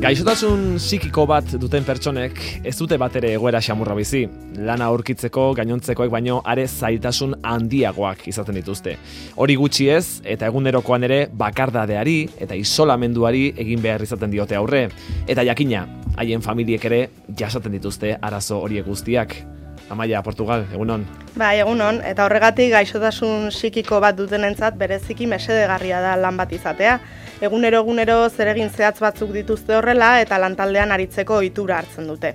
Gaixotasun psikiko bat duten pertsonek ez dute batere egoera xamurra bizi. Lana aurkitzeko gainontzekoek baino are zailtasun handiagoak izaten dituzte. Hori gutxi ez, eta egunerokoan ere bakardadeari eta isolamenduari egin behar izaten diote aurre. Eta jakina, haien familiek ere jasaten dituzte arazo horiek guztiak. Amaia, Portugal, egunon. Bai, egunon, eta horregatik gaixotasun psikiko bat dutenentzat bereziki mesedegarria da lan bat izatea. Egunero zeregin zehatz batzuk dituzte horrela eta lantaldean aritzeko ohitura hartzen dute.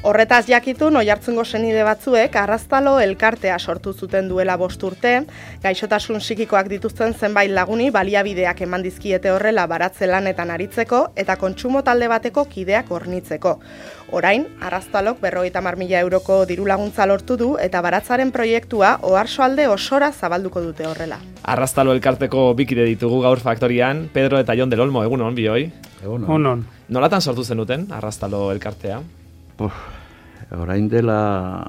Horretaz jakitun, Oiartzungo senide batzuek Arraztalo elkartea sortu zuten duela 5 urte, gaixotasun psikikoak dituzten zenbait laguni baliabideak eman dizkiete horrela baratze lanetan aritzeko eta kontsumo talde bateko kideak hornitzeko. Orain, Arraztalok 50.000 euroko diru laguntza lortu du eta baratzaren proiektua Oarsoalde osora zabalduko dute horrela. Arraztalo elkarteko bikide ditugu gaur faktorian, Pedro eta Jon del Olmo, egunon, bioi? Egunon. Nolatan sortu zenuten Arraztalo elkartea? Orain dela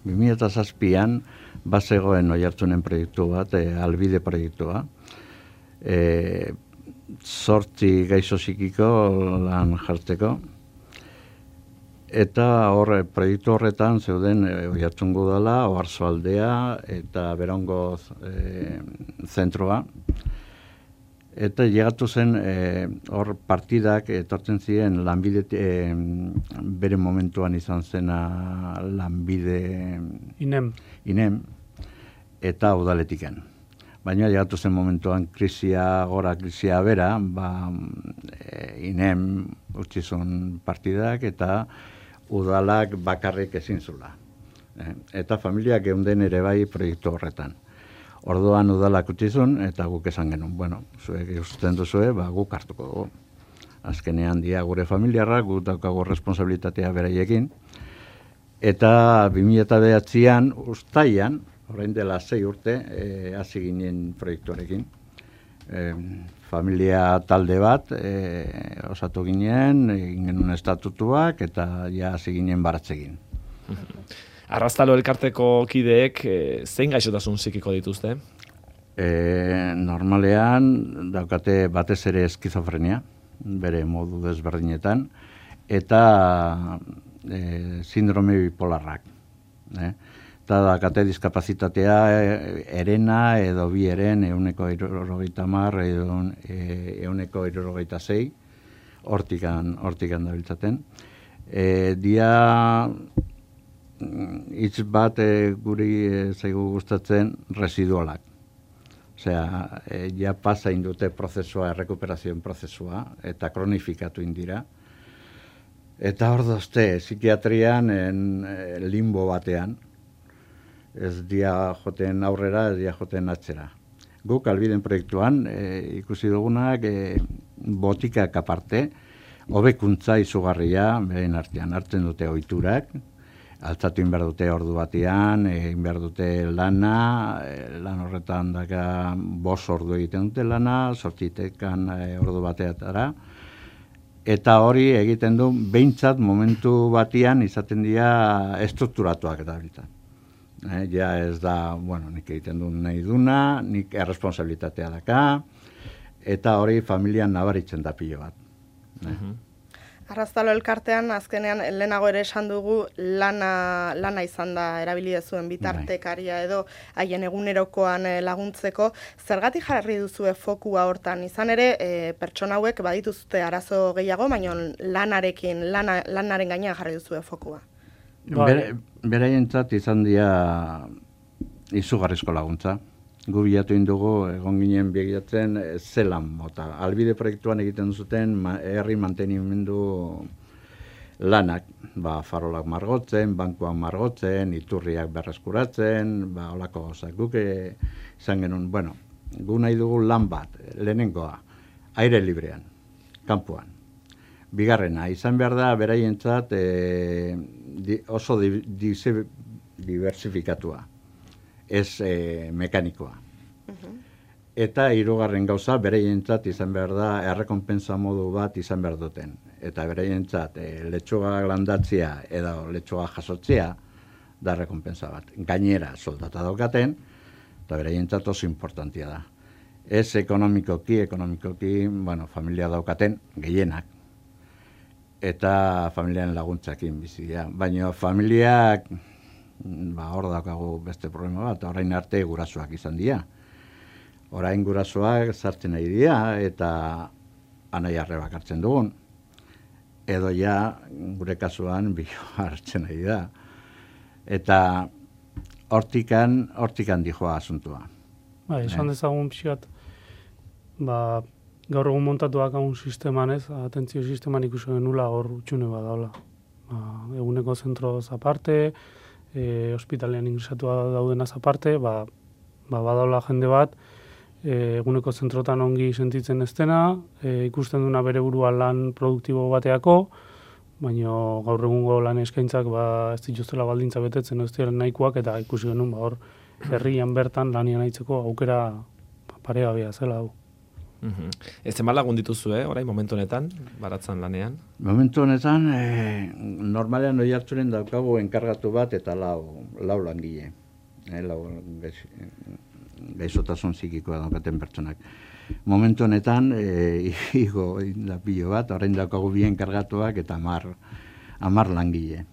2007an bazegoen Oiartzunen proiektu bat, Albide proiektua. 8 gaixo psikiko lan jartzeko. Eta proiektu horretan zeuden Oiartzungo dela, Oarsoaldea eta Berango zentroa. Eta llegatu zen hor partidak etortzen ziren lanbide bere momentuan izan zena lanbide inem eta udaletiken. Baina llegatu zen momentuan krisia bera, inem utzi zuen partidak eta udalak bakarrik ezin zula. Eta familiak geunden ere bai proiektu horretan. Orduan udalak utzizun eta guk esan genuen, zuek ikusten duzue, guk hartuko dugu. Azkenean dia gure familiarra, guk daukagu responsabilitatea beraiekin. Eta 2009an uztailan, orain dela 6 urte, hasi ginen proiektuarekin. Familia talde bat, osatu ginen, egin genuen estatutuak eta hasi ginen baratzegin. Arraztalo elkarteko kideek zein gaixotasun psikiko dituzte? Normalean daukate batez ere eskizofrenia, bere modu desberdinetan, eta sindrome bipolarrak. Eta daukate diskapazitatea erena edo bi eren 170 edo 176, hortikan dabiltzaten. Dia hitz bat guri zaigu gustatzen residualak. Osea, ja pasa indute prozesua, errekuperazioen prozesua, eta kronifikatu indira. Eta hor dozte, psikiatrian limbo batean, ez dia joten aurrera, ez dia joten atzera. Guk Albiden proiektuan ikusi dugunak botikak aparte, hobekuntza izugarria, behin artean hartzen dute ohiturak, altzatu behar dute ordu batean, egin behar dute lana, lan horretan daka 5 ordu egiten dute lana, 8 ordu bateatara, eta hori egiten du behintzat momentu batean izaten dira estrukturatuak eta horita. Ja ez da, nik egiten du nahi duna, nik erresponsabilitatea daka, eta hori familian nabaritzen da pilo bat. Arraztalo elkartean, azkenean, lehenago ere esan dugu, lana izan da erabili dezuen bitartekaria edo haien egunerokoan laguntzeko. Zergatik jarri duzue fokua hortan? Izan ere, pertsona hauek badituzte arazo gehiago, baina lanaren gainean jarri duzue fokua. Beraientzat izan dira izugarrizko laguntza. Gu bilatu indugu, egon ginen begiratzen zelan mota. Albide proiektuan egiten zuten herri mantenimendu lanak. Farolak margotzen, bankuak margotzen, iturriak berreskuratzen, holako gozak. Guk izan genuen, gu nahi dugu lan bat, lehenengoa, aire librean, kanpoan. Bigarrena, izan behar da beraientzat oso diversifikatua. Ez mekanikoa. Eta 3. gauza, beraientzat izan behar da errekonpensa modu bat izan behar duten. Eta beraientzat letxuga landatzea edo letxuga jasotzea da errekonpensa bat. Gainera soldata daukaten, eta beraientzat oso importantia da. Ez ekonomikoki, familia daukaten gehienak. eta familiaren laguntzakin bizia. Baina familiak, hor daukagu beste problema bat, orain arte gurasoak izan dira. Orain gurasoak sartzen nahi dira eta anai arrebak hartzen dugun. Edo ja, gure kasuan, biloa hartzen nahi da. Eta hortikan dijoa asuntua. Esan dezagun pixkat, gaur egun montatuak haun sisteman ez, atentzio sisteman ikusi genula hor utxune badaula. Eguneko zentroz aparte, ospitalean ingresatua daudenaz aparte, badaula jende bat, eguneko zentrotan ongi sentitzen ez dena, ikusten duna bere burua lan produktibo bateako, baina gaur egungo lan eskaintzak ez dituztela baldintza betetzen ez dira nahikoak, eta ikusi genuen hor herrian bertan lanian aitzeko aukera paregabea zela hau. Ez zenbat lagun dituzue, orain, momentu honetan, baratzan lanean? Momentu honetan, normalean Oiartzunen daukagu enkargatu bat eta lau langile. Gaizotasun psikikoa daukaten pertsonak. Momentu honetan, igo lapillo bat, orain daukagu bi enkargatuak eta 10 langile.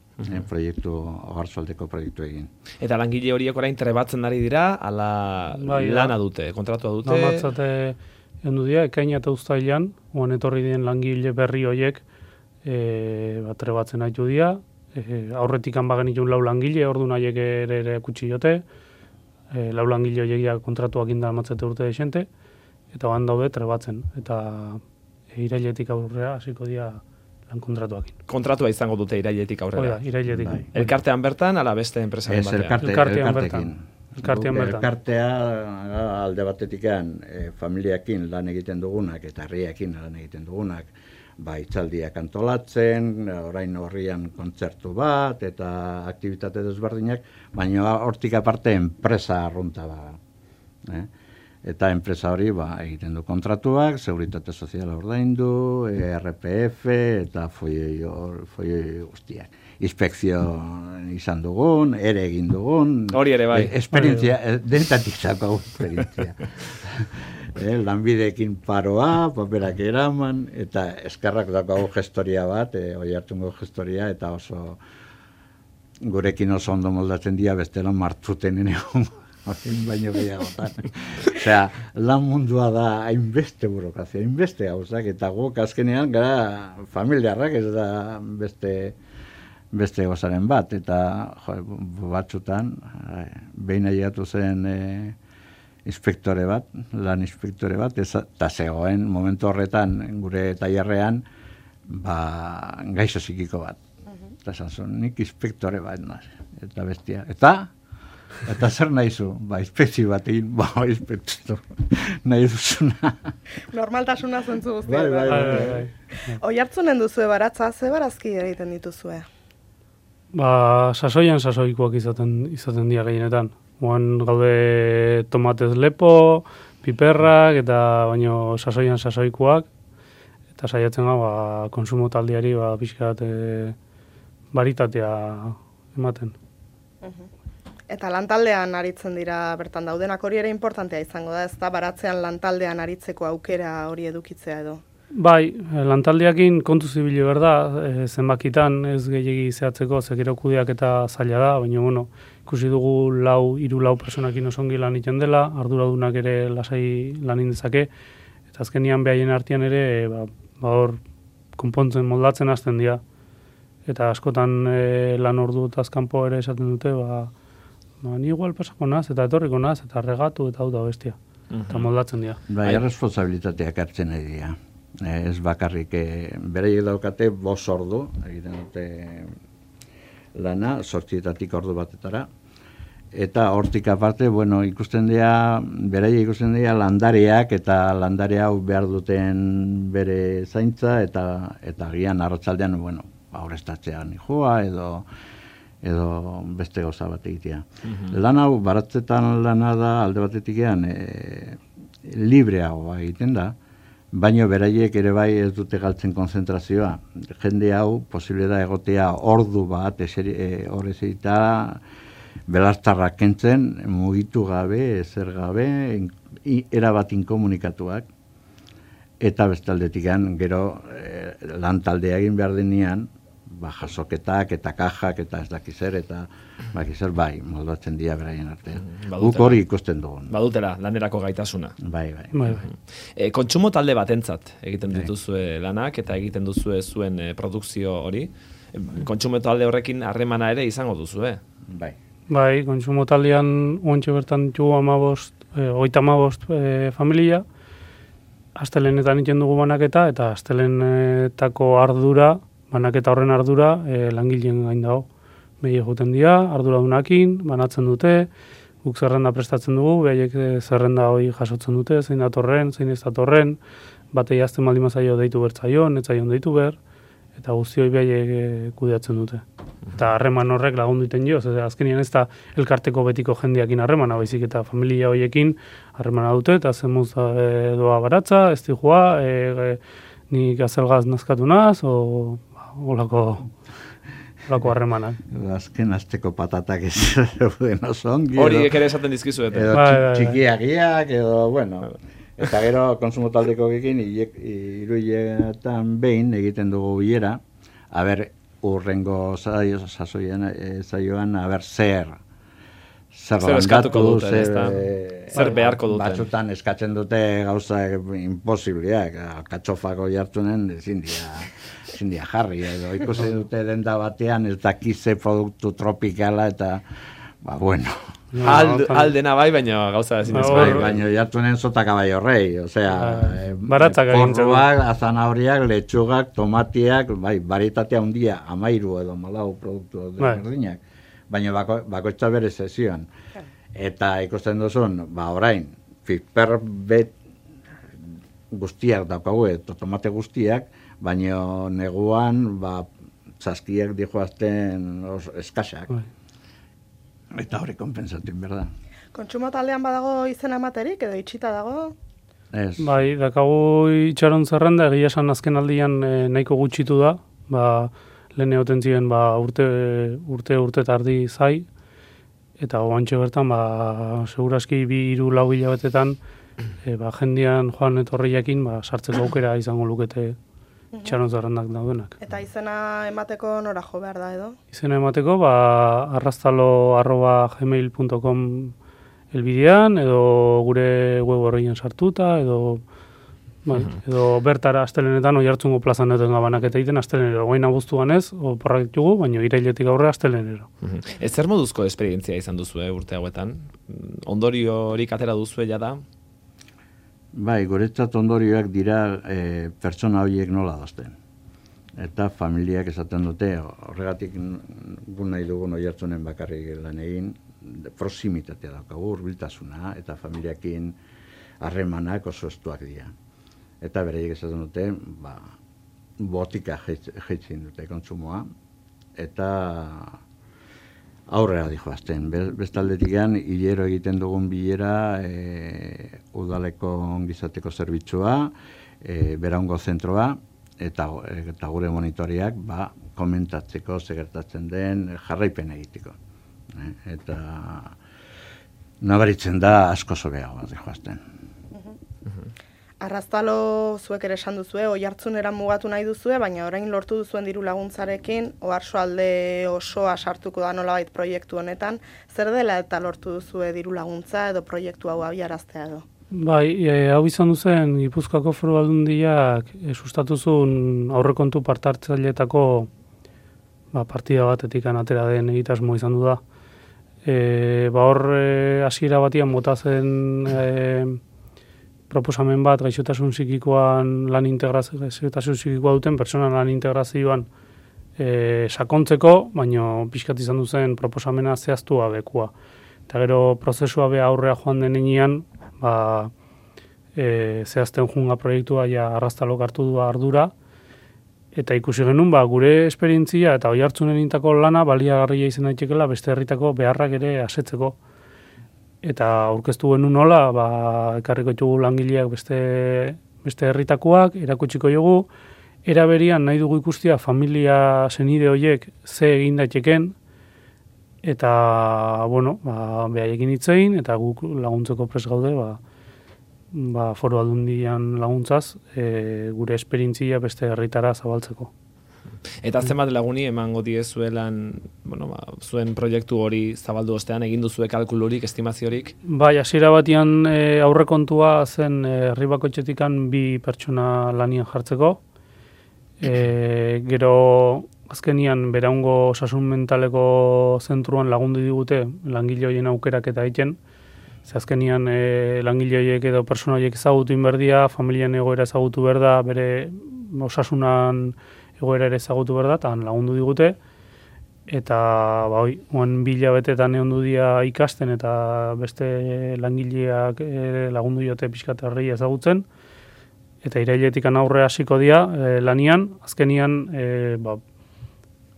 Proiektu, Ogarzualdeko proiektu egin. Eta langile horiek orain trebatzen ari dira, ala lana dute, kontratua dute? Namatzate hendu dira, ekaina eta uztailan, oan etorri dien langile berri horiek trebatzen haitu dira, aurretikan bagenitun 4 langile, orduan haiek ere kutsi jote, 4 langile horiek kontratuak indalmatzete urte desente, eta oan daude trebatzen, eta irailetik aurrera hasiko dira lan kontratuakin. Kontratua izango dute irailetik aurrera? Oida, irailetik. Elkartean bertan, ala beste enpresaren batean? Elkartean bertan. Elkartea alde batetikan familiakin lan egiten dugunak eta herriakin lan egiten dugunak, hitzaldiak antolatzen, orain horrian kontzertu bat eta aktibitate desberdinak, baina hortik aparte enpresa arrunta da. Eta enpresa hori egiten du kontratuak, seguritate soziala ordaindu, RPF eta foioi guztiak. Inspekzio izan dugun, ere egin dugun. Hori ere bai. Esperientzia, denetatik zako esperientzia. Lanbideekin paroa, paperak eraman, eta eskarrak daukagu gestoria bat, Oiartzungo gestoria, eta oso gurekin oso ondo moldatzen dira, bestela martuten egon. Baino gehiagotan. Osea, lan mundua da hainbeste burokrazia, hainbeste gauzak, eta guk azkenean gara familiarrak, ez da beste gozaren bat, eta batzutan, behin aiatu zen inspektore bat, lan inspektore bat, eta zegoen momentu horretan gure tailerrean gaixo psikiko bat. Eta esan zuen, nik inspektore bat, eta bestia. Eta zer nahizu? Inspekzio bat egin, inspekzio nahi duzuna. Normaltasuna zentzu guztia. Bai. Oiartzunen duzue baratza, ze barazki egiten dituzue? Sasoikoak izaten dira gehienetan. Oan gaude tomatez lepo, piperrak, eta baino sasoikoak, eta saiatzen gau, konsumo taldiari, pixkat baritatea ematen. Eta lantaldean aritzen dira bertan daudenak, hori ere importantea izango da, ez da baratzean lantaldean aritzeko aukera hori edukitzea edo? Bai, lantaldeakin kontu zibili berda, zenbakitan ez gehiagi zehatzeko, zekero kudeak eta zaila da, baina ikusi dugu 3-4 personakin osongi lan iten dela, arduradunak ere lasai lan indezake, eta azkenian behaien artean ere, hor konpontzen moldatzen hasten dira. Eta askotan lan ordu eta azkanpo ere esaten dute, ni igual pasako naz, eta etorriko naz, eta regatu, eta hau da bestia. Eta moldatzen dira. Responsabilitateak hartzen nahi dira. Ez bakarrik, beraiek daukate 5 ordu, egiten dute lana, 8 ordu batetara. Eta hortik aparte, ikusten dira, beraiek ikusten dira landareak, eta landare hau behar duten bere zaintza, eta gian arratsaldean, aurreztatzean joa, edo beste gauza bat egitea. Lan hau, baratzetan lana da, alde batetikan, libreago egiten da, baina beraiek ere bai ez dute galtzen konzentrazioa. Jende hau, posible da egotea ordu bat, horrez egita, belastarrak kentzen, mugitu gabe, ezer gabe, erabat inkomunikatuak, eta bestaldetikan gero lan taldea egin behar denean, jasoketak eta kajak eta ez dakiz zer, eta bai, moldatzen dira beraien artean. Guk hori ikusten dugun. Badutela, lanerako gaitasuna. Bai. Kontsumo talde batentzat egiten dituzue lanak eta egiten duzue zuen produkzio hori. Kontsumo talde horrekin harremana ere izango duzue. Bai, kontsumo taldean ointxe bertan ditugu 35 familia, astelenetan egiten dugu banaketa, eta astelenetako ardura, banaketa horren ardura, langileen gain dago. Behi egiten dira, arduradunakin, banatzen dute, guk zerrenda prestatzen dugu, behiek zerrenda hori jasotzen dute, zein datorren, zein ez datorren, batei azten baldin mazaio deitu bertzaion, etzaion deitu ber, eta guzti hori behiek kudeatzen dute. Eta harreman horrek lagundu iten jo, azkenean ez da elkarteko betiko jendeakin harremana, baizik eta familia horiekin harremana dute, eta zemuz doa baratza, ez dijua, nik azelgaz nazkatu naz, olako harremanak. Azken azteko patatak ez zeuden oso ongi. Hori ere esaten dizkizuet. Edo txikiagiak, edo, bueno. Eta gero konsumo taldeko ekin, iruiletan behin egiten dugu bilera, urrengo saioan, zer eskatuko dute, zer beharko duten. Batzutan eskatzen dute gauza imposibliak, katxofako jartunen ezin dira jarri, edo ikusi dute denda batean ez dakize produktu tropikala eta, bueno. Aldena bai, baina gauza ezin ez bai. Baina jartunen zota kabaio rei, osea, baratzak porruak, azanahoriak, letxugak, tomatiak, baritatea handia, 13 edo 14 produktu berdinak. Baina bakoitza bere sesioan. Eta ikusten duzun, orain, piper bet guztiak daukagu, eta tomate guztiak, baina neguan, txaskiak dijoazten eskasak. Eta hori konpensatzen, berda. Kontsumo taldean badago izena ematerik, edo itxita dago? Ez. Bai, dakago itxaron zerrenda, egia esan azken aldian nahiko gutxitu da, lehen egoten ziren urte eta ardi zai, eta oantxe bertan, seguraski 2-3 hilabetetan, jendean joan etorriakin, sartzeko aukera izango lukete itxaron zerrendak daudenak. Eta izena emateko nora jo behar da edo? Izena emateko, arrastalo@gmail.com elbidean, edo gure web horrein sartuta, edo bertara astelenetan Oiartzungo plazan duten banaketa egiten astelenero. Goin abuztuan ez, oporrak ditugu, baina irailetik aurre astelenero. Ez zer moduzko esperientzia izan duzue urte hauetan? Ondorio horik atera duzue jada? Bai, guretzat ondorioak dira pertsona horiek nola dazten. Eta familiak esaten dute, horregatik gu nahi dugun Oiartzunen bakarrik lan egin, proximitatea daukagu, hurbiltasuna, eta familiakin harremanak oso estuak dira. Eta bereiek esaten dute, botika jeitzen dute kontsumoa, eta aurrera dijoazten. Bestaldetikan, hilero egiten dugun bilera, udaleko ongizateko zerbitzua, Beraungo zentroa, eta gure monitoriak, komentatzeko segertatzen den jarraipen egiteko. Eta nabaritzen da asko zobeagoa dijoazten. Arrastalo zuek ere esan duzue, Oiartzunera mugatu nahi duzue, baina orain lortu duzuen diru laguntzarekin, Oarsoalde osoa sartuko da nolabait proiektu honetan. Zer dela eta lortu duzue diru laguntza edo proiektu hau abiaraztea edo? Bai, hau izan duzen, Gipuzkoako Foru Aldundiak sustatuzun aurrekontu partartzaileetako partida batetik atera den egitasmo izan du da. Hor hasiera batian bota zen proposamen bat gaixotasun psikikoan gaixotasun psikikoa duten pertsona lan integrazioan sakontzeko, baina pixkat izan duzen proposamena zehaztu abekua. Eta gero prozesua be aurrea joan denean, zehazten junga proiektua Arrastalok hartu du ardura, eta ikusi genuen gure esperientzia eta Oiartzunen intako lana baliagarria izan daitekeela beste herritako beharrak ere asetzeko. Eta aurkeztu genuen nola, ekarriko ditugu langileak beste herritakoak, erakutsiko dugu, eraberian nahi dugu ikustia familia senide horiek ze egin daiteken, eta, behaiekin hitzein, eta guk laguntzeko prest gaude, Foru Aldundian laguntzaz, gure esperientzia beste herritara zabaltzeko. Eta zenbat laguni emango diezuelan, zuen proiektu hori zabaldu ostean, egin duzue kalkulurik, estimaziorik? Bai, hasiera batian aurrekontua zen herri bakoitzetikan 2 pertsona lanian jartzeko. Gero azkenian beraungo osasun mentaleko zentruan lagundu digute langile horien aukerak eta egiten. Azkenian langile horiek edo persona horiek ezagutu inberdia, familian egoera ezagutu berda, bere osasunan egoera ere ezagutu berda, eta lagundu digute. Eta oan 2 hilabetetan egon du dia ikasten eta beste langileak lagundu diote pixkat herria ezagutzen. Eta irailetikan aurre hasiko dira lanian, azkenian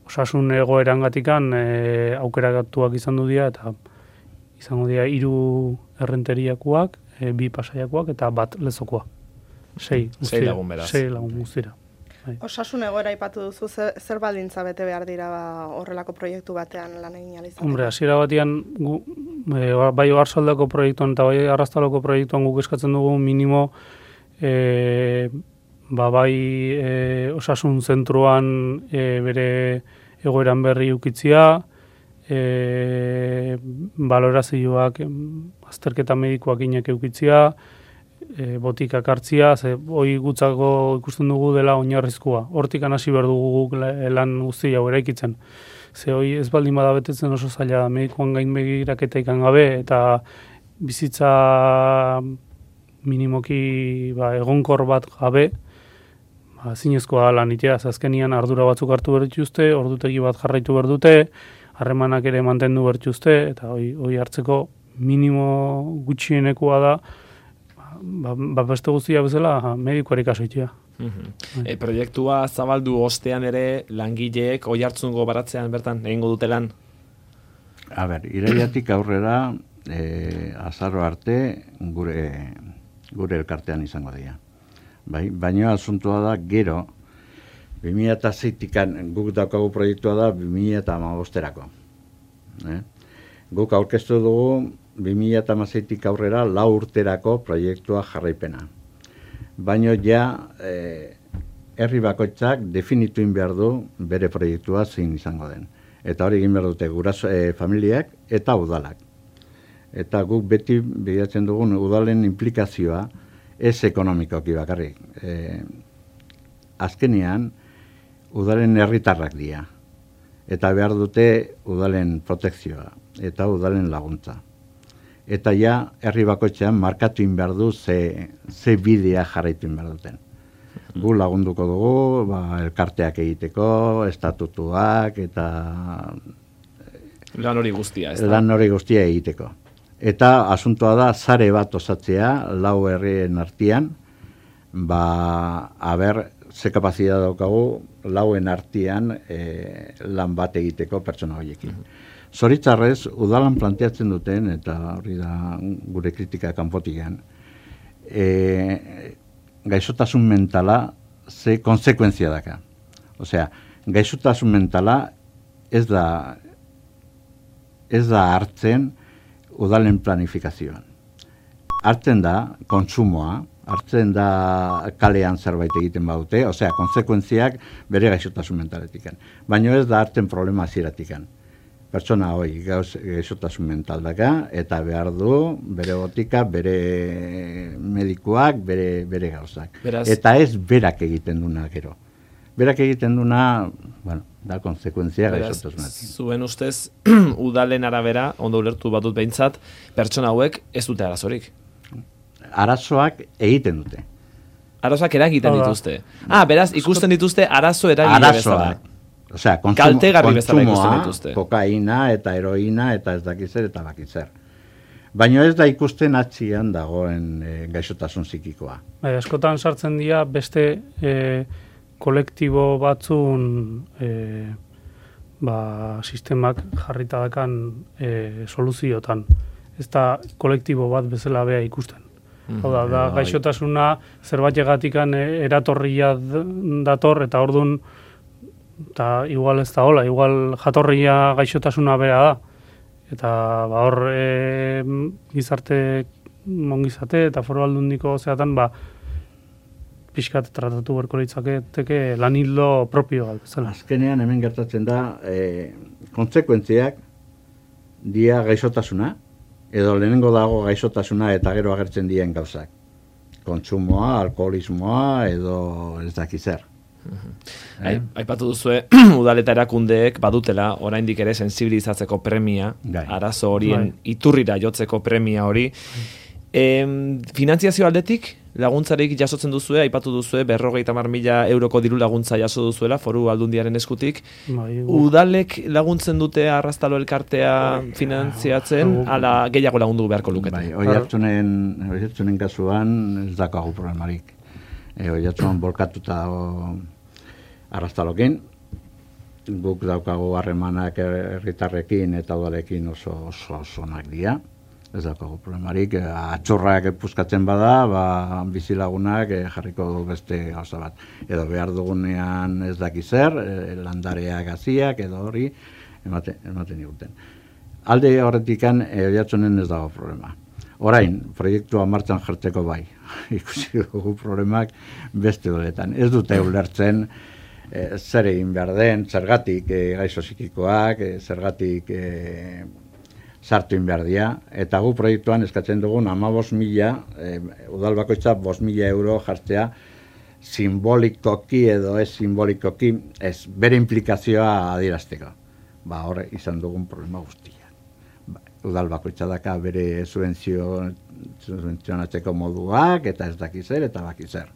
osasun egoerangatikan aukeratuak izan du dira, eta izango dira 3 errenteriakoak, 2 pasaiakoak eta 1 lezokoa. 6 lagun beraz. 6 lagun guztira. Osasun egoera aipatu duzu, zer baldintza bete behar dira horrelako proiektu batean lan egin alizateko? Hombre, hasiera batean bai Oarsoaldeko proiektuan eta bai Arraztaloko proiektuan guk eskatzen dugu minimo osasun zentruan bere egoeran berri ukitzia, balorazioak, azterketa medikoak inek eukitzia, botikak hartzia, hoi gutzako ikusten dugu dela oinarrizkoa. Hortikan hasi behar dugu lan guzti hau eraikitzen. Hoi ez baldin bada betetzen oso zaila medikoan gain begiraketa ikan gabe, eta bizitza minimoki egonkor bat gabe, zinezkoa lan itea, azkenian ardura batzuk hartu behar dituzte, ordutegi bat jarraitu behar dute, harremanak ere mantendu behar dituzte, eta hoi hartzeko minimo gutxienekoa da, beste guztia bezala medikoari kaso itea. Proiektua zabaldu ostean ere langileek Oiartzungo baratzean bertan egingo dute lan? Irailetik aurrera azaro arte gure elkartean izango dira. Baina asuntua da gero 2006-tikan guk daukagu proiektua da 2015-erako. Guk aurkeztu dugu 2016-tik aurrera 4 urterako proiektua jarraipena. Baina herri bakoitzak definituin behar du bere proiektua zein izango den. Eta hori egin behar dute guraso familiak eta udalak. Eta guk beti bilatzen dugun udalen implikazioa ez ekonomikoki bakarrik. Azkenean, udalen herritarrak dira. Eta behar dute udalen protekzioa eta udalen laguntza. Eta herri bakoitzean markatuin behar du ze bidea jarraituin behar duten. Gu lagunduko dugu, elkarteak egiteko, estatutuak eta lan hori guztia, ez da? Lan hori guztia egiteko. Eta asuntoa da sare bat osatzea 4 herrien artean, ze kapazitatea daukagu 4en artean lan bat egiteko pertsona horiekin. Zoritzarrez, udalan planteatzen duten, eta hori da gure kritika kanpotikan, gaixotasun mentala ze konsekuentzia daka. Osea, gaixotasun mentala ez da hartzen udalen planifikazioan. Hartzen da kontsumoa, hartzen da kalean zerbait egiten badute, osea, konsekuentziak bere gaixotasun mentaletikan. Baina ez da hartzen problema hasieratik. Pertsona hori gaixotasun mental daka, eta behar du bere botika, bere medikuak, bere gauzak. Eta ez berak egiten duna gero. Berak egiten duna, da konsekuentzia gaixotasun mental. Zuen ustez, udalen arabera, ondo ulertu batut behintzat, pertsona hauek ez dute arazorik. Arazoak egiten dute. Arazoak eragiten dituzte. Beraz, ikusten dituzte arazo eragile bezala. Osea, kontsumoa, kokaina eta heroina eta ez dakitzer eta bakitzer. Baina ez da ikusten atzian dagoen gaixotasun psikikoa. Askotan sartzen dira beste kolektibo batzun sistemak jarritadakan soluziotan. Ez da kolektibo bat bezala bea ikusten. Da gaixotasuna zerbaitegatikan eratorria dator eta ordun eta igual ez da hola, igual jatorria gaixotasuna bera da. Eta hor gizarte ongizate eta Foru Aldundiko zeatan, pixkat tratatu berko litzaketeke lan hildo propio bat, bezala. Azkenean hemen gertatzen da, kontsekuentziak dia gaixotasuna, edo lehenengo dago gaixotasuna eta gero agertzen dien gauzak. Kontsumoa, alkoholismoa, edo ez daki zer. Aipatu duzue, udal eta erakundeek badutela, oraindik ere sensibilizatzeko premia, arazo horien iturrira jotzeko premia hori. Finantziazio aldetik, laguntzarik jasotzen duzue, aipatu duzue, 50.000 euroko diru laguntza jaso duzuela, Foru Aldundiaren eskutik. Udalek laguntzen dute Arraztalo elkartea finantziatzen, ala gehiago lagundu beharko lukete? Oiartzunen kasuan ez dakagu problemarik. Oiartzunen bolkatuta dago Arraztalokin, guk daukagu harremanak herritarrekin eta udalekin oso onak dira. Ez daukagu problemarik, atxorrak puskatzen bada, bizilagunak jarriko du beste gauza bat. Edo behar dugunean ez daki zer, landareak gaziak, edo hori, ematen diguten. Alde horretikan, Oiartzunen ez dago problema. Orain, proiektua martxan jartzeko bai, ikusi dugu problemak beste doletan. Ez dute ulertzen zer egin behar den, zergatik gaixo psikikoak, zergatik sartu behar dira, eta gu proiektuan eskatzen dugun 15.000, udal bakoitza 5.000 euro jartzea simbolikoki edo ez simbolikoki, ez bere implikazioa adierazteko. Hor izan dugun problema guztia. Udal bakoitza daka bere subentzionatzeko moduak, eta ez daki zer, eta baki zer.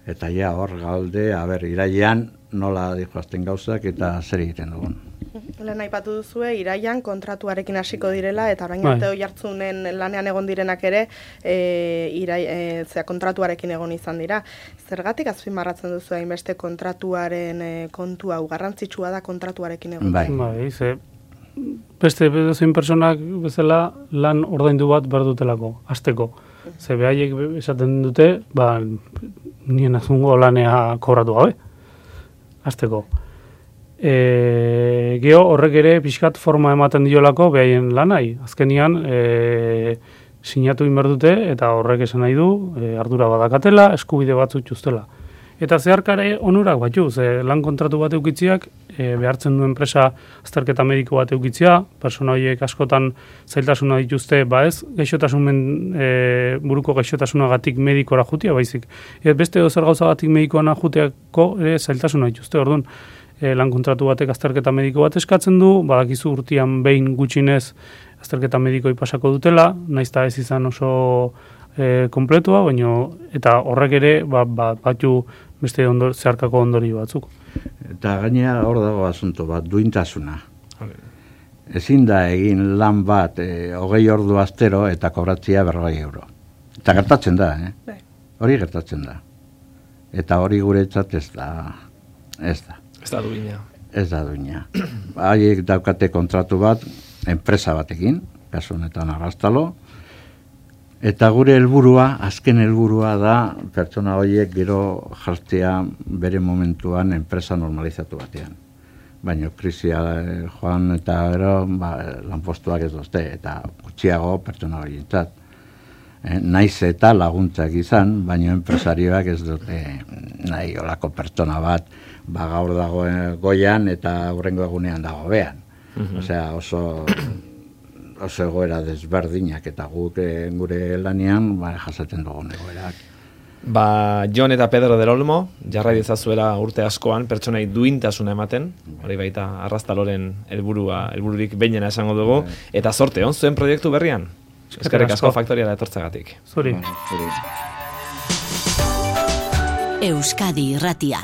Eta hor gaude, irailean nola dijoazten gauzak eta zer egiten dugun. Lehen aipatu duzue, iraian kontratuarekin hasiko direla, eta orain arte Oiartzunen lanean egon direnak ere kontratuarekin egon izan dira. Zergatik azpimarratzen duzu hainbeste kontratuaren kontu hau, garrantzitsua da kontratuarekin egon? Beste zein personak bezala lan ordaindu bat behar dutelako, hasteko. Ze behaiek esaten dute, nien azungo lanea kobratu gabe, hasteko. Geo horrek ere pixkat forma ematen diolako behaien lanai. Azkenian sinatu inber dute eta horrek esan nahi du ardura badakatela, eskubide batzuk txustela. Eta zeharkare onurak batzu, lan kontratu bat eukitziak behartzen du enpresa azterketa mediko bat eukitzia, persona horiek askotan zailtasuna dituzte, ez buruko gaixotasunagatik medikora jutia baizik. Beste zer gauzagatik medikoana juteako zailtasuna dituzte, orduan lan kontratu batek azterketa mediko bat eskatzen du, badakizu urtean behin gutxinez azterketa medikoi pasako dutela, naizta ez izan oso kompletua, eta horrek ere batzu beste zeharkako ondori batzuk. Eta gainea hor dago asunto bat, duintasuna. Ezin da egin lan bat 20 ordu astero eta kobratzea 40 euro. Eta gertatzen da, hori gertatzen da. Eta hori guretzat ez da. Ez da duina. Ez da duina. Haiek daukate kontratu bat, enpresa batekin, kasu honetan Arraztalo, eta gure helburua, azken helburua da, pertsona horiek gero jartzea bere momentuan enpresa normalizatu batean. Baina krisia joan eta gero lanpostuak ez dozte, eta gutxiago pertsona horientzat. Naiz eta laguntzak izan, baina enpresarioak ez dute nahi olako pertsona bat, gaur dago goian eta hurrengo egunean dago behan. Osea, oso egoera desberdinak eta guk gure lanean jasaten dugun egoerak. Jon eta Pedro del Olmo, jarrai dezazuela urte askoan pertsonai duintasuna ematen, hori baita Arraztaloren helbururik behinena esango dugu, eta zorte on zuen proiektu berrian. Eskerrik asko Faktoriara etortzagatik. Zuri. Euskadi Irratia.